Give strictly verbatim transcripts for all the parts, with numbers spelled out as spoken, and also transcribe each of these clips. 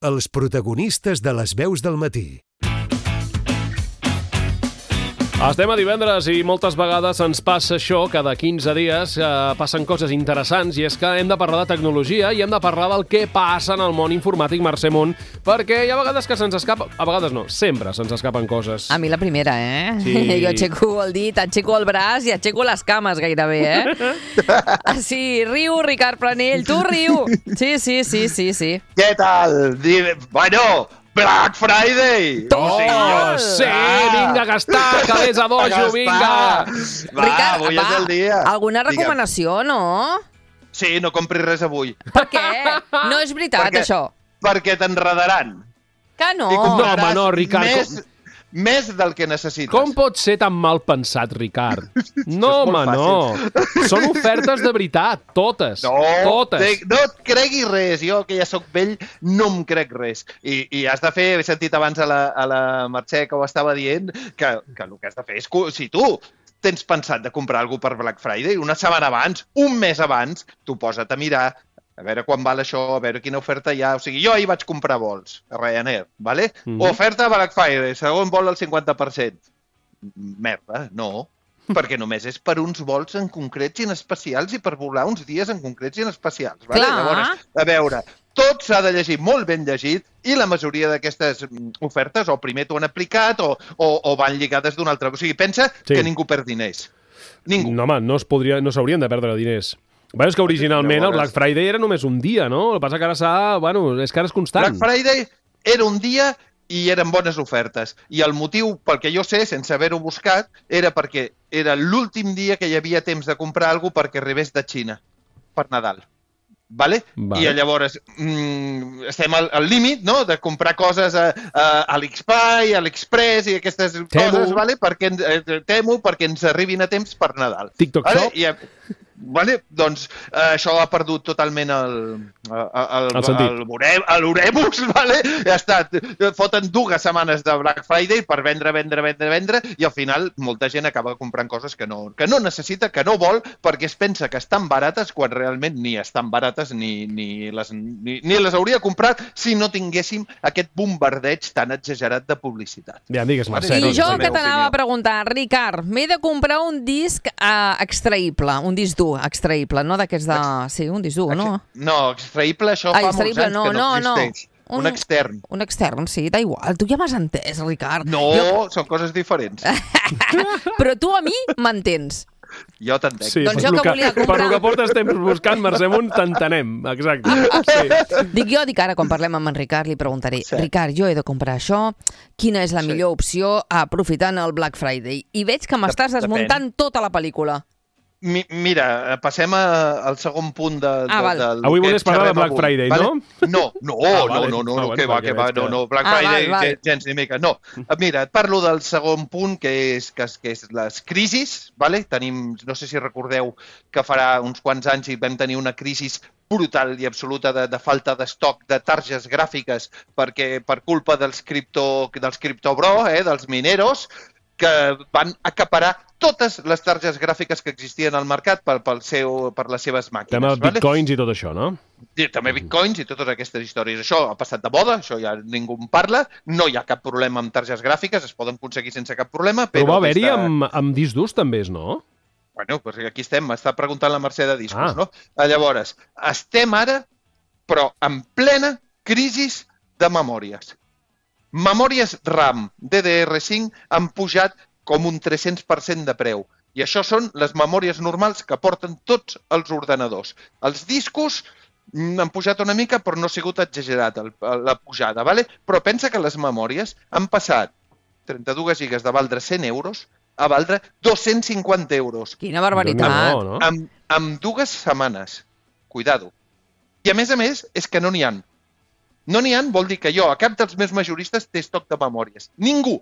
Els protagonistes de les veus del matí. Estem a divendres i moltes vegades ens passa això, cada quinze dies eh, passen coses interessants, i és que hem de parlar de tecnologia i hem de parlar del que passa en el món informàtic, Mercè Munt, perquè hi ha vegades que se'ns escapa, a vegades no, sempre se'ns escapen coses. A mi la primera, eh? Sí. Jo aixeco el dit, aixeco el braç i aixeco les cames gairebé, eh? Sí, riu, Ricard Planell, tu riu. Sí, sí, sí, sí, sí. Què tal? Bueno... Black Friday! Oh, sí, jo... sí, vinga a gastar, que vés a dojo, vinga! Va, Ricard, avui va, és el dia. alguna recomanació, no? Sí, no compris res avui. Per què? No és veritat, perquè, això. Perquè t'enredaran. Que no? I No, home, no, Ricard. Més, Com... més del que necessites. Com pot ser tan mal pensat, Ricard? No, home, no. Són ofertes de veritat, totes. No, totes. Te, no et creguis res. Jo, que ja sóc vell, no em crec res. I, i has de fer, he sentit abans a la, a la Mercè que ho estava dient, que, que el que has de fer és... Si tu tens pensat de comprar alguna cosa per Black Friday, una setmana abans, un mes abans, tu posa't a mirar a veure quan val això, a veure quina oferta hi ha. O sigui, jo ahir vaig comprar vols a Ryanair, ¿vale? Mm-hmm. Oferta Black Friday, segon vol al cinquanta per cent. Merda, no. Perquè només és per uns vols en concrets i en especials i per volar uns dies en concrets i en especials. ¿vale? Clar. Llavors, a veure, tot s'ha de llegir molt ben llegit i la majoria d'aquestes ofertes o primer t'ho han aplicat o, o, o van lligades d'una altra. O sigui, pensa sí. que ningú perd diners. Ningú. No, home, no es podria, no s'haurien de perdre diners. Bé, és que originalment el Black Friday era només un dia, no? El que passa que ara s'ha... Bueno, és que ara és constant. Black Friday era un dia i eren bones ofertes. I el motiu, pel que jo sé, sense haver-ho buscat, era perquè era l'últim dia que hi havia temps de comprar alguna cosa perquè arribés de Xina per Nadal. Vale? Vale. I llavors mm, estem al, al límit, no?, de comprar coses a, a l'Xbuy, a l'Express i aquestes Temu. Coses, vale? Perquè, eh, Temu, perquè ens arribin a temps per Nadal. TikTok vale? Shop. I, vale? Doncs eh, això ha perdut totalment el, el, el, el l'oremus, vale? Ja està, foten dues setmanes de Black Friday per vendre, vendre, vendre, vendre, i al final molta gent acaba comprant coses que no, que no necessita, que no vol, perquè es pensa que estan barates quan realment ni estan barates ni, ni, les, ni, ni les hauria comprat si no tinguéssim aquest bombardeig tan exagerat de publicitat. Ja, digues, Mercè. I jo que t'anava a preguntar, Ricard, m'he de comprar un disc uh, extraïble, un disc dur, extraïble, no d'aquests de... Sí, un disc dur, no? No, extraïble, això ah, fa molts anys no, que no, no existeix. No. Un, un extern. Un extern, sí, da igual. Tu ja m'has entès, Ricard. No, jo... són coses diferents. Però tu a mi m'entens. Jo t'entenc. Sí, doncs jo que, que volia comprar... Per el que portes temps buscant, Mercè Munt, t'entenem. Exacte. Sí. Dic jo, dic ara, quan parlem amb en Ricard, li preguntaré, sí. Ricard, jo he de comprar això, quina és la sí. millor opció aprofitant el Black Friday? I veig que m'estàs desmuntant tota la pel·lícula. Mi, mira, passem a, al segon punt de, ah, de, del... Avui volies parlar de Black avui, Friday, vale? no? No, no, ah, vale. no, no, no, ah, no, bueno, que va, que va, no, no, Black ah, Friday, val, val. gens ni mica, no. Mira, et parlo del segon punt, que és, que és, que és les crisis, vale? Tenim, no sé si recordeu que farà uns quants anys i vam tenir una crisi brutal i absoluta de, de falta d'estoc de targes gràfiques perquè per culpa dels cripto, dels criptobro, eh, dels mineros, que van acaparar totes les targes gràfiques que existien al mercat per, pel seu, per les seves màquines. També vale? bitcoins i tot això, no? I també bitcoins i totes aquestes històries. Això ha passat de moda, això ja ningú en parla, no hi ha cap problema amb targes gràfiques, es poden aconseguir sense cap problema. Però, però va haver-hi aquesta... amb, amb discs durs també, no? Bueno, doncs aquí estem, m'està preguntant la Mercè de discos, ah. no? Llavors, estem ara, però en plena crisi de memòries. Memòries RAM D D R cinc han pujat com un tres-cents per cent de preu. I això són les memòries normals que porten tots els ordenadors. Els discos han pujat una mica, però no ha sigut exagerat el, la pujada, ¿vale? Però pensa que les memòries han passat trenta-dues gigas de valdre cent euros a valdre dos-cents cinquanta euros. Quina barbaritat. No, no. Amb, amb dues setmanes. Cuidado. I a més a més, és que no n'hi ha. No n'hi ha vol dir que jo, a cap dels meus majoristes, té estoc de memòries. Ningú.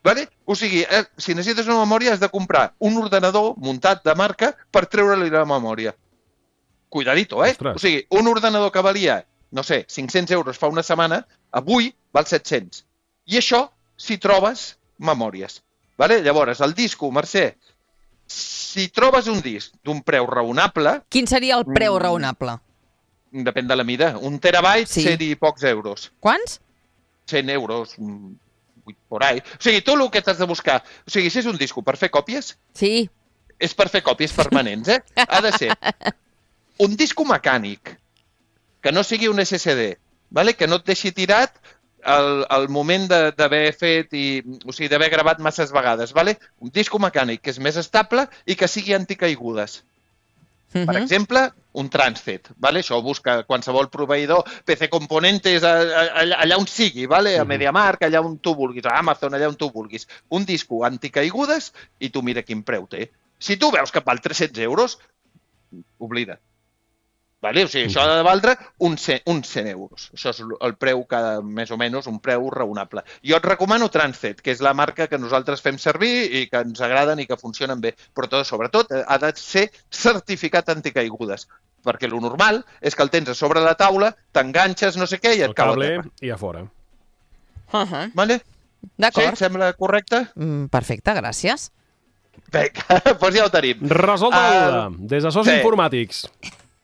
Vale? O sigui, eh, si necessites una memòria has de comprar un ordenador muntat de marca per treure-li la memòria. Cuidadito, eh? Ostres. O sigui, un ordenador que valia, no sé, cinc-cents euros fa una setmana, avui val set-cents. I això si trobes memòries. Vale? Llavors, el disco, Mercè, si trobes un disc d'un preu raonable... Quin seria el preu raonable? depèn de la mida. Un terabyte, sí. cent i pocs euros. Quants? cent euros, vuit por ahí. O sigui, tu el que t'has de buscar... O sigui, si és un disco per fer còpies... Sí. És per fer còpies permanents, eh? Ha de ser un disco mecànic, que no sigui un esse esse de, vale? Que no et deixi tirat al, al moment d'haver fet, i, o sigui, d'haver gravat masses vegades. Vale? Un disco mecànic que és més estable i que sigui anticaigudes. Uh-huh. Per exemple, un Transcet. Vale? Això ho busca qualsevol proveïdor, P C Componentes, allà, allà on sigui, vale? A MediaMarkt, allà on tu vulguis, a Amazon, allà on tu vulguis. Un disco anticaigudes i tu mira quin preu té. Si tu veus que val tres-cents euros, oblida. Vale? O sigui, això ha de valdre uns cent euros. Això és el preu, que, més o menys, un preu raonable. Jo et recomano Transcet, que és la marca que nosaltres fem servir i que ens agraden i que funcionen bé. Però tot, sobretot, ha de ser certificat anticaigudes. Perquè el normal és que el tens a sobre la taula, t'enganxes, no sé què, i et cau a terra. I a fora. Uh-huh. Vale? D'acord. Sí, et sembla correcte? Mm, perfecte, gràcies. Vinga, doncs ja ho tenim. Resolta la duda. Des de Sos Informàtics.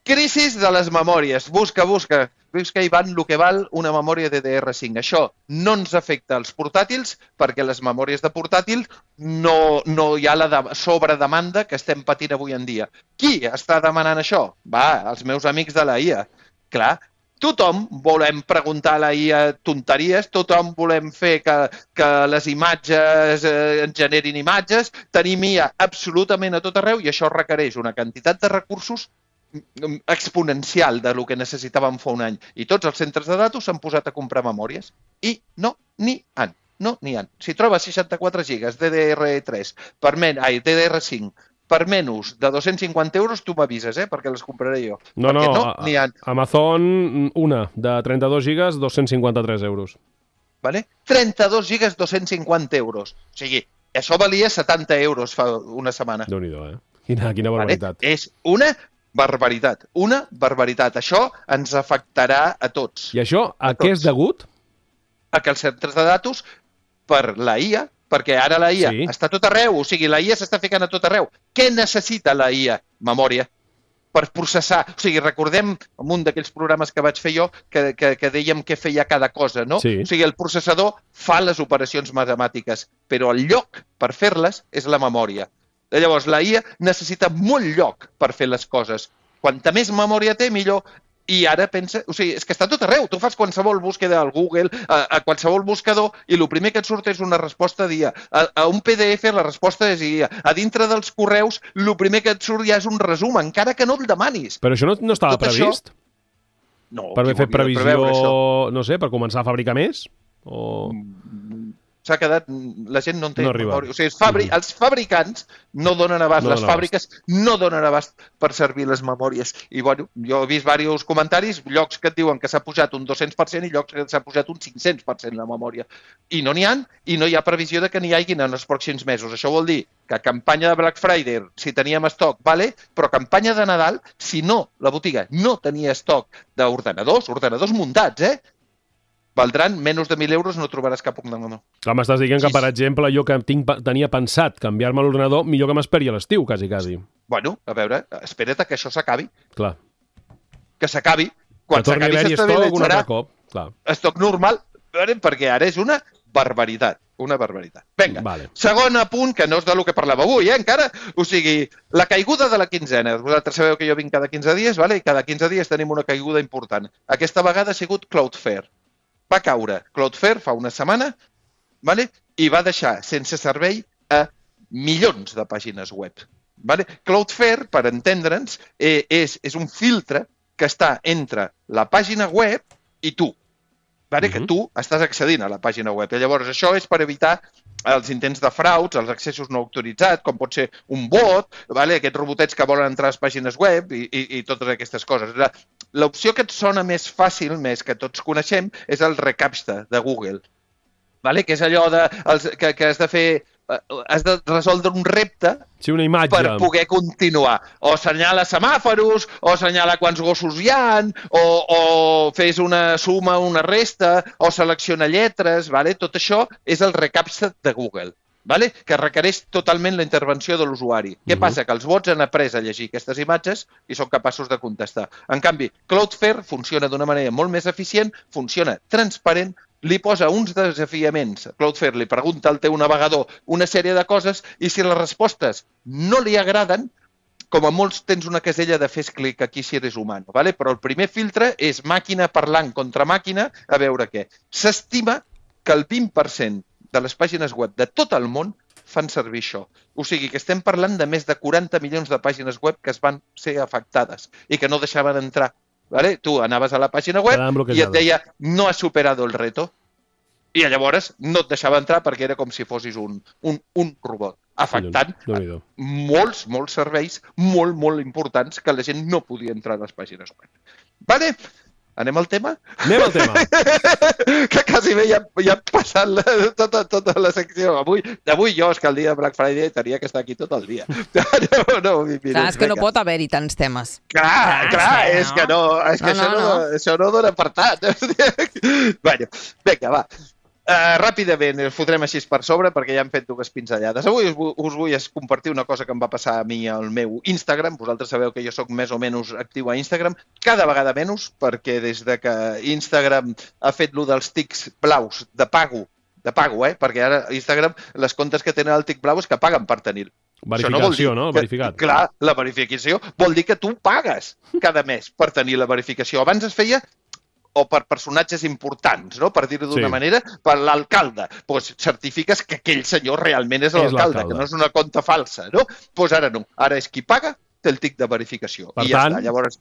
Crisis de les memòries. Busca, busca. Busca, Ivan, el que val una memòria D D R cinc. Això no ens afecta als portàtils perquè les memòries de portàtil no, no hi ha la de sobredemanda que estem patint avui en dia. Qui està demanant això? Va, els meus amics de la I A. Clar, tothom volem preguntar a la I A tonteries, tothom volem fer que, que les imatges eh, ens generin imatges, tenim I A absolutament a tot arreu i això requereix una quantitat de recursos exponencial de lo que necessitàvem fa un any. I tots els centres de datos s'han posat a comprar memòries. I no n'hi han. No n'hi han. Si trobes seixanta-quatre gigas D D R tres, per men... ai, D D R cinc, per menys de dos-cents cinquanta euros, tu m'avises, eh? Perquè les compraré jo. No, perquè no, no n'hi ha. Amazon, una, de trenta-dos gigas, dos-cents cinquanta-tres euros. Vale? trenta-dos gigas, dos-cents cinquanta euros. O sigui, això valia setanta euros fa una setmana. Déu-n'hi-do, eh? Quina, quina barbaritat. Vale? És una barbaritat. Una barbaritat. Això ens afectarà a tots. I això a, a què és degut? A que els centres de datos, per la I A, perquè ara la I A sí. està a tot arreu, o sigui, la I A s'està ficant a tot arreu. Què necessita la I A? Memòria. Per processar. O sigui, recordem en un d'aquells programes que vaig fer jo que, que, que dèiem què feia cada cosa, no? Sí. O sigui, el processador fa les operacions matemàtiques, però el lloc per fer-les és la memòria. Llavors, la I A necessita molt lloc per fer les coses. Quanta més memòria té, millor. I ara pensa... O sigui, és que està tot arreu. Tu fas qualsevol búsqueda al Google, a, a qualsevol buscador, i el primer que et surt és una resposta d'I A. A, a un P D F la resposta és I A. A dintre dels correus, el primer que et surt ja és un resum, encara que no el demanis. Però això no, no estava tot previst? Això... No. Per haver fet previsió, no sé, per començar a fabricar més? O... S'ha quedat... La gent no en té no memòria. O sigui, els, fabri... mm. els fabricants no donen abast, no les fàbriques abast. no donen abast per servir les memòries. I, bueno, jo he vist diversos comentaris, llocs que et diuen que s'ha pujat un dos-cents per cent i llocs que s'ha pujat un cinc-cents per cent la memòria. I no n'hi ha, i no hi ha previsió de que n'hi hagin en els pròxims mesos. Això vol dir que campanya de Black Friday, si teníem estoc, vale, però campanya de Nadal, si no, la botiga no tenia estoc d'ordenadors, ordenadors muntats, eh? Valdran menys de mil euros, no trobaràs cap ordenador. Clar, m'estàs dient que, per exemple, jo que tinc, tenia pensat canviar-me l'ordenador, millor que m'esperi a l'estiu, quasi, quasi. Bueno, a veure, espera't que això s'acabi. Clar. Que s'acabi. Quan s'acabi s'estabilitzarà estoc normal, perquè ara és una barbaritat. Una barbaritat. Vinga, vale. Segon apunt, que no és del que parlàvem avui, eh, encara. O sigui, la caiguda de la quinzena. Vosaltres sabeu que jo vinc cada quinze dies, vale? I cada quinze dies tenim una caiguda important. Aquesta vegada ha sigut Cloudflare. Va caure Cloudflare fa una setmana, vale? I va deixar sense servei a milions de pàgines web. Vale? Cloudflare, per entendre'ns, eh, és, és un filtre que està entre la pàgina web i tu. Vale? Uh-huh. Que tu estàs accedint a la pàgina web. I llavors això és per evitar els intents de frauds, els accessos no autoritzats, com pot ser un bot, vale? Aquests robotets que volen entrar a les pàgines web i, i, i totes aquestes coses. L'opció que et sona més fàcil, més que tots coneixem, és el reCAPTCHA de Google, vale? Que és allò de, els, que, que has de fer, has de resoldre un repte sí, una imatge. Per poder continuar. O assenyala semàforos, o assenyala quants gossos hi ha, o, o fes una suma, una resta, o selecciona lletres, vale? Tot això és el reCAPTCHA de Google. vale? Que requereix totalment la intervenció de l'usuari. Què uh-huh. passa? Que els bots han après a llegir aquestes imatges i són capaços de contestar. En canvi, Cloudflare funciona d'una manera molt més eficient, funciona transparent, li posa uns desafiaments. Cloudflare li pregunta al teu navegador una sèrie de coses i si les respostes no li agraden, com a molts tens una casella de fes clic aquí si eres humà, vale? Però el primer filtre és màquina parlant contra màquina, a veure què. S'estima que el vint per cent de les pàgines web de tot el món fan servir això. O sigui que estem parlant de més de quaranta milions de pàgines web que es van ser afectades i que no deixaven entrar. Vale? Tu anaves a la pàgina web i et deia no has superado el reto. I llavors no et deixava entrar perquè era com si fossis un, un, un robot, afectant molts, molts serveis molt, molt importants que la gent no podia entrar a les pàgines web. Vale? Anem al tema? Anem al tema. Que quasi bé ja, ja ha passat la, tota, tota la secció. Avui, avui jo, és que el dia de Black Friday tenia que estar aquí tot el dia. No, no, minuts, clar, és que no pot haver-hi tants temes. Clar, clar, clar és que no, és que no, això, no, no. No, això no dona per tant. Bueno, vinga, va. Uh, ràpidament, els fotrem així per sobre perquè ja hem fet dues pinzellades. Avui us, us vull compartir una cosa que em va passar a mi al meu Instagram. Vosaltres sabeu que jo sóc més o menys actiu a Instagram, cada vegada menys, perquè des de que Instagram ha fet lo dels tics blaus de pago, de pago, eh? Perquè ara Instagram, les comptes que tenen el tic blau és que paguen per tenir-lo. Verificació, no? Que, verificat. Clar, la verificació vol dir que tu pagues cada mes per tenir la verificació. Abans es feia o per personatges importants, no? Per dir-ho d'una sí. manera, per l'alcalde. Pues certifiques que aquell senyor realment és l'alcalde, que no és una compta falsa, no? Pues ara no. Ara és qui paga, té el tic de verificació. Per I ja tant... està. Llavors,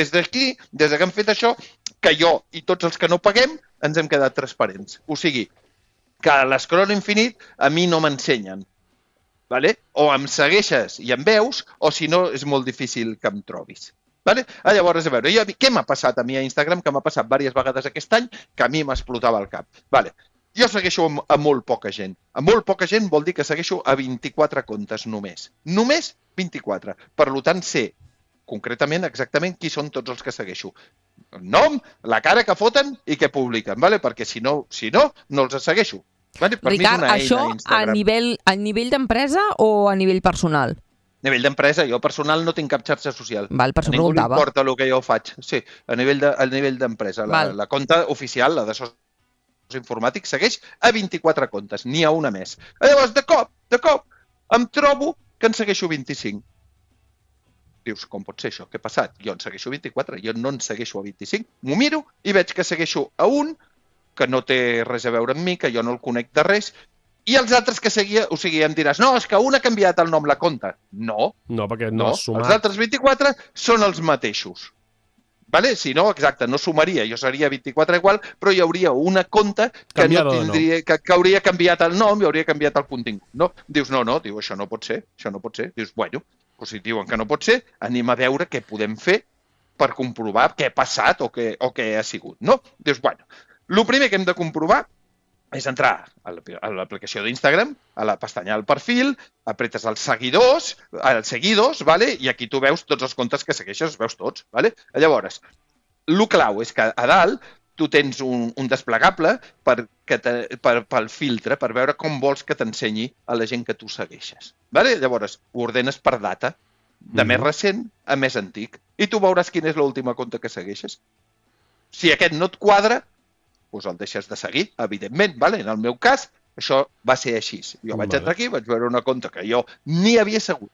des d'aquí, des que hem fet això, que jo i tots els que no paguem ens hem quedat transparents. O sigui, que a l'escroll infinit a mi no m'ensenyen. Vale? O em segueixes i em veus, o si no, és molt difícil que em trobis. Vale? Ah, llavors, a veure, jo, què m'ha passat a mi a Instagram, que m'ha passat diverses vegades aquest any, que a mi m'explotava el cap. Vale. Jo segueixo a molt poca gent. A molt poca gent vol dir que segueixo a vint-i-quatre comptes només. Només vint-i-quatre. Per tant, sé concretament exactament qui són tots els que segueixo. El nom, la cara que foten i què publiquen, vale? Perquè si no, si no, no els segueixo. Vale? Per Ricard, mi és una això eina, Instagram. a nivell, a nivell d'empresa o a nivell personal? A nivell d'empresa, jo personal no tinc cap xarxa social. Val, per a ningú li preguntava. importa el que jo faig. Sí, a nivell de, a nivell d'empresa. La, la compta oficial, la de socials informàtics, segueix a vint-i-quatre comptes, n'hi ha una més. Llavors, de cop, de cop, em trobo que en segueixo vint-i-cinc. Dius, com pot ser això? Què ha passat? Jo en segueixo vint-i-quatre, jo no en segueixo a vint-i-cinc. M'ho miro i veig que segueixo a un que no té res a veure amb mi, que jo no el conec de res, i els altres que seguia, o sigui, em diràs, no, és que un ha canviat el nom la compta. No. No, perquè no, no has sumat. Els altres vint-i-quatre són els mateixos. Vale? Si no, exacte, no sumaria, jo seria vint-i-quatre igual, però hi hauria una compta que, no tindria, que, que hauria canviat el nom i hauria canviat el contingut. No? Dius, no, no, diu, això no pot ser, això no pot ser. Dius, bueno, doncs si diuen que no pot ser, anem a veure què podem fer per comprovar què ha passat o què, o què ha sigut. No? Dius, bueno, el primer que hem de comprovar és entrar a l'aplicació d'Instagram, a la pestanya del perfil, apretes els seguidors, els seguidors, vale? I aquí tu veus tots els comptes que segueixes, els veus tots. Vale? Llavors, el clau és que a dalt tu tens un, un desplegable per, que te, per, pel filtre, per veure com vols que t'ensenyi a la gent que tu segueixes. Vale? Llavors, ho ordenes per data, de mm. més recent a més antic, i tu veuràs quina és l'última compte que segueixes. Si aquest no et quadra, doncs el deixes de seguir, evidentment. Vale? En el meu cas, això va ser així. Jo vaig entrar aquí, vaig veure una compte que jo ni havia segut,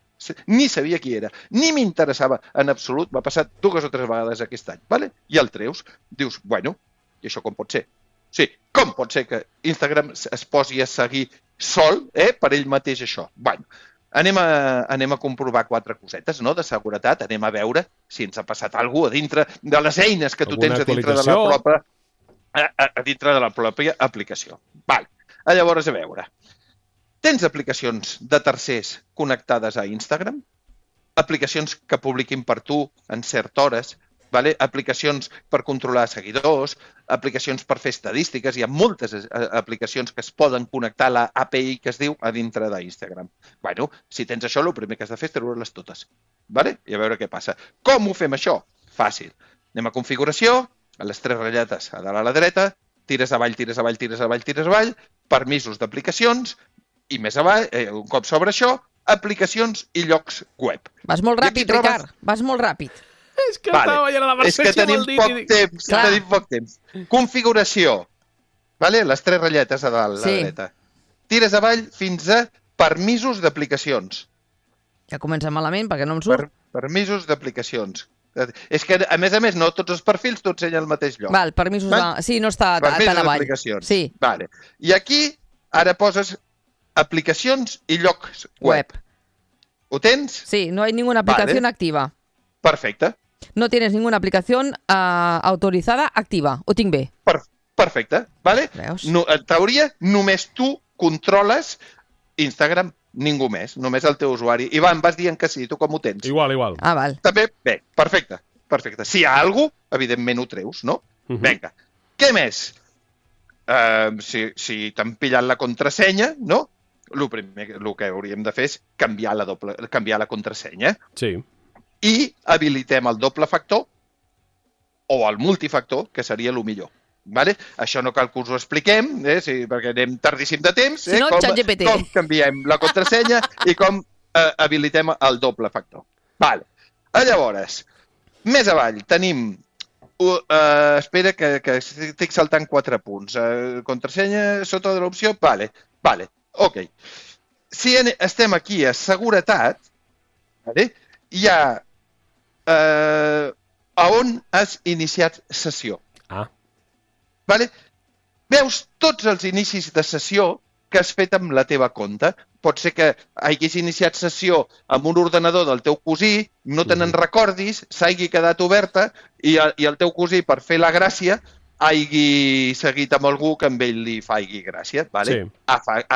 ni sabia qui era, ni m'interessava en absolut. M'ha passat dues o tres vegades aquest any. Vale? I el treus, dius, bueno, i això com pot ser? Sí, com pot ser que Instagram es posi a seguir sol, eh, per ell mateix això? Bueno, anem a, anem a comprovar quatre cosetes, no?, de seguretat. Anem a veure si ens ha passat alguna cosa a dintre de les eines que tu tens a dintre de la pròpia... A, a, a dintre de la pròpia aplicació. Vale. Llavors, a veure, tens aplicacions de tercers connectades a Instagram? Aplicacions que publiquin per tu en certes hores? Vale? Aplicacions per controlar seguidors? Aplicacions per fer estadístiques? Hi ha moltes aplicacions que es poden connectar a la A P I que es diu a dintre d'Instagram. Bueno, si tens això, el primer que has de fer és treure-les totes. Vale? I a veure què passa. Com ho fem això? Fàcil. Anem a configuració, a les tres ratlletes a dalt a la dreta, tires avall, tires avall, tires avall, tires avall, permisos d'aplicacions i més avall, eh, un cop sobre això, aplicacions i llocs web. Vas molt ràpid, Ricard, vas molt ràpid. És que vale. estava veient la Mercè És que tenim poc i... temps, Clar. tenim poc temps. Configuració, vale? Les tres ratlletes a dalt, sí. la dreta. Tires avall fins a permisos d'aplicacions. Ja comença malament perquè no em surt. Per, permisos d'aplicacions. És que, a més a més, no tots els perfils t'ho ensenya al mateix lloc. Val, permisos Val? De... Sí, no està permisos tan avall. D'aplicacions. Sí. Vale. I aquí, ara poses aplicacions i llocs web. web. ¿Ho tens? Sí, no hay ninguna aplicación vale. activa. Perfecte. No tienes ninguna aplicación uh, autorizada activa. Ho tinc bé? Per, perfecte. Vale? No, en teoria, només tu controles Instagram, ningú més, només el teu usuari. Ivan, vas dient que sí, tu com ho tens? Igual, igual. Ah, val. També? Bé, perfecte, perfecte. Si hi ha alguna cosa, evidentment ho treus, no? Uh -huh. Vinga. Què més? Uh, si si t'han pillat la contrasenya, no? El primer el que hauríem de fer és canviar la, doble, canviar la contrasenya. Sí. I habilitem el doble factor o el multifactor, que seria el millor. Vale? Això no cal que us ho expliquem, eh? Sí, perquè anem tardíssim de temps, eh? Si no, com, com canviem la contrasenya i com eh, habilitem el doble factor. Vale. Llavors, més avall tenim... Uh, uh, espera, que, que estic saltant quatre punts. Uh, contrasenya sota de l'opció? Vale, vale, ok. Si estem aquí a seguretat, vale? Hi ha uh, a on has iniciat sessió. Ah. Vale? Veus tots els inicis de sessió que has fet amb la teva compte. Pot ser que hagis iniciat sessió amb un ordenador del teu cosí, no te n'en recordis, s'hagi quedat oberta i, i el teu cosí, per fer la gràcia, hagi seguit amb algú que amb ell li faci gràcia. Vale? Sí.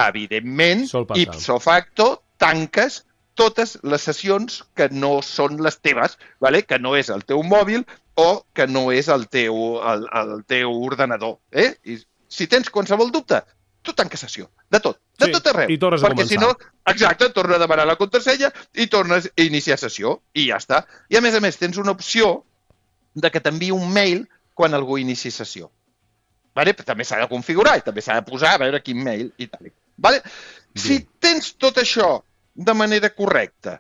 Evidentment, ipso facto, tanques totes les sessions que no són les teves, vale? Que no és el teu mòbil o que no és el teu, el, el teu ordenador. Eh? I si tens qualsevol dubte, tu tanques sessió, de tot, de sí, tot arreu. I tornes a perquè començar. Si no, exacte, torna a demanar la contrasenya i tornes a iniciar sessió i ja està. I a més a més tens una opció de que t'enviï un mail quan algú inici sessió. Vale? També s'ha de configurar i també s'ha de posar a veure quin mail i tal. Vale? Si tens tot això de manera correcta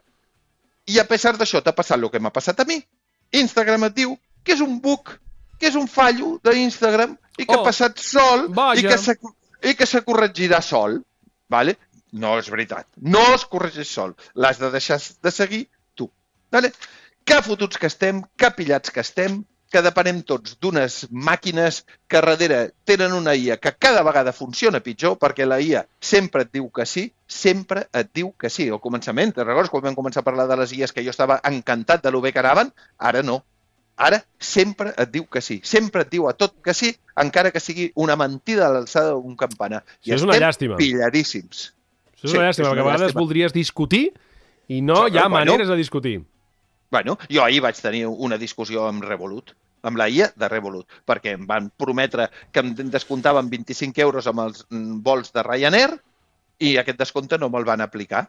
i a pesar d'això t'ha passat el que m'ha passat a mi, Instagram et diu que és un bug, que és un fallo d'Instagram i que oh, ha passat sol i que, i que se corregirà sol. Vale? No és veritat. No es corregeix sol. L'has de deixar de seguir tu. Vale? Que fotuts que estem, que pillats que estem, que depenem tots d'unes màquines que darrere tenen una I A que cada vegada funciona pitjor perquè la I A sempre et diu que sí, sempre et diu que sí. Al començament, te'n recordes quan vam començar a parlar de les I As que jo estava encantat de lo bé que anaven? Ara no. Ara sempre et diu que sí. Sempre et diu a tot que sí, encara que sigui una mentida a l'alçada d'un campanar. I és una llàstima. Pilladíssims. Això és una llàstima, perquè a vegades voldries discutir i no hi ha maneres de discutir. Bueno, jo ahir vaig tenir una discussió amb Revolut, amb la I A de Revolut, perquè em van prometre que em descomptaven vint-i-cinc euros amb els vols de Ryanair i aquest descompte no me'l van aplicar.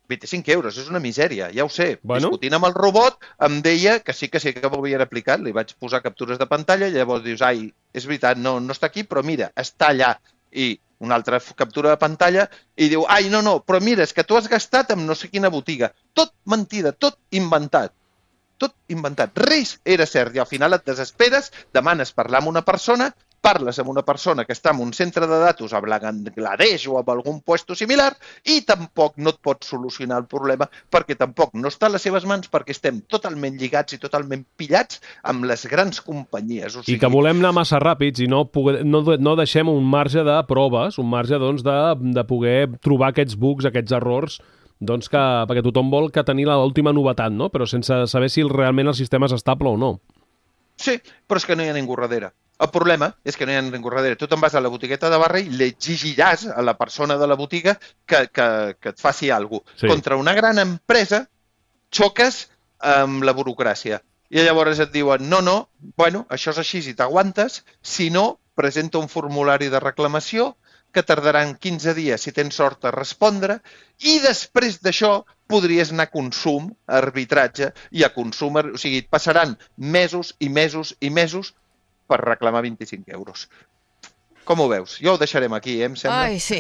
vint-i-cinc euros, és una misèria, ja ho sé. Bueno. Discutint amb el robot, em deia que sí que sí que m'ho havien aplicat, li vaig posar captures de pantalla i llavors dius, ai, és veritat, no, no està aquí, però mira, està allà. I una altra captura de pantalla i diu, ai, no, no, però mira, és que tu has gastat amb no sé quina botiga. Tot mentida, tot inventat. Tot inventat. Res era cert i al final et desesperes, demanes parlar amb una persona, parles amb una persona que està en un centre de datos a Bangladesh o en algun puesto similar i tampoc no et pot solucionar el problema perquè tampoc no està a les seves mans perquè estem totalment lligats i totalment pillats amb les grans companyies. O sigui... I que volem anar massa ràpids i no, poder, no, no deixem un marge de proves, un marge doncs, de, de poder trobar aquests bugs, aquests errors, doncs que, perquè tothom vol que tenir l'última novetat, no? Però sense saber si realment el sistema és estable o no. Sí, però és que no hi ha ningú darrere. El problema és que no hi ha ningú darrere. Tu te'n vas a la botigueta de barri i l'exigiràs a la persona de la botiga que, que, que et faci alguna cosa. Sí. Contra una gran empresa xoques amb la burocràcia. I llavors et diuen, no, no, bueno, això és així si t'aguantes, si no, presenta un formulari de reclamació que tardaran quinze dies, si tens sort, a respondre, i després d'això podries anar a consum, a arbitratge, i a consum, o sigui, et passaran mesos i mesos i mesos per reclamar vint-i-cinc euros. Com ho veus? Jo ho deixarem aquí, eh, em sembla. Ai, sí.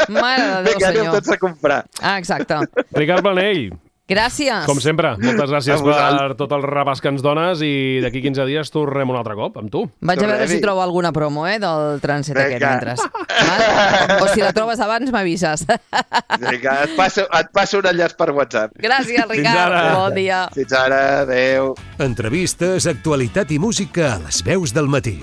Mare de Déu, Vinga, anem senyor. tots a comprar. Ah, exacte. Ricard Planell, Gràcies. com sempre, moltes gràcies A vosaltres. per tot el repàs que ens dones i d'aquí quinze dies tornem un altre cop amb tu. Vaig a veure Tornem-hi. si trobo alguna promo, eh, del trànsit aquest Vinga. mentre. Val? O si la trobes abans, m'avises. Vinga, et passo, et passo un enllaç per WhatsApp. Gràcies, Fins Ricard. ara. Bon dia. Fins ara, adeu. Entrevistes, actualitat i música a les veus del matí.